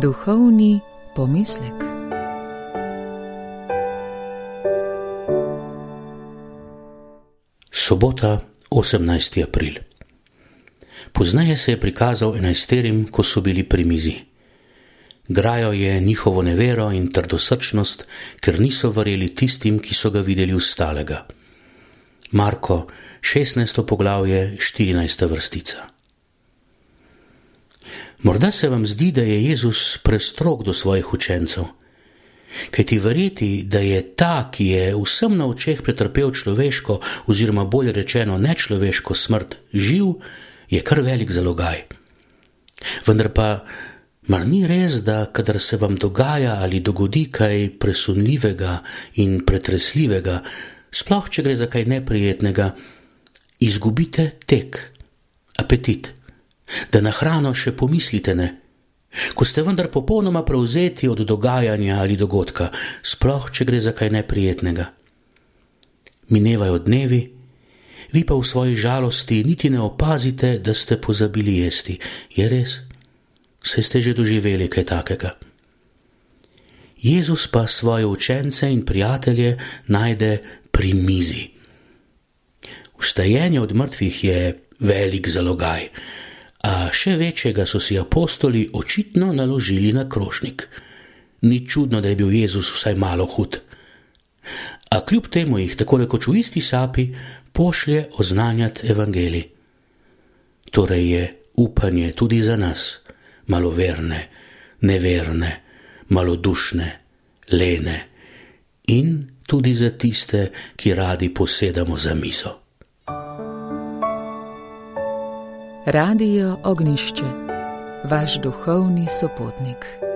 Duhovni pomislek. Sobota, 18. april. Pozneje se je prikazal 11, ko so bili pri mizi. Grajal je njihovo nevero in trdosrčnost, ker niso verjeli tistim, ki so ga videli ustalega. Marko, 16. poglavje, 14. vrstica. Morda se vam zdi, da je Jezus prestrog do svojih učencev. Kajti verjeti, da je ta, ki je vsem na očeh pretrpel človeško oziroma bolje rečeno nečloveško smrt, živ, je kar velik zalogaj. Vendar pa mar ni res, da kadar se vam dogaja ali dogodi kaj presunljivega in pretresljivega, sploh če gre za kaj neprijetnega, izgubite tek, apetit, da na hrano še pomislite ne, ko ste vendar popolnoma prevzeti od dogajanja ali dogodka, sploh če gre za kaj neprijetnega. Minevajo dnevi, vi pa v svoji žalosti niti ne opazite, da ste pozabili jesti. Je res? Saj ste že doživeli kaj takega. Jezus pa svoje učence in prijatelje najde pri mizi. Vstajenje od mrtvih je velik zalogaj, a še večjega so si apostoli očitno naložili na krožnik. Ni čudno, da je bil Jezus vsaj malo hud. A kljub temu jih tako rekoč v isti sapi pošlje oznanjati evangelij. Torej je upanje tudi za nas, maloverne, neverne, malodušne, lene in tudi za tiste, ki radi posedamo za mizo. Radio Ognjišče, vaš duhovni sopotnik.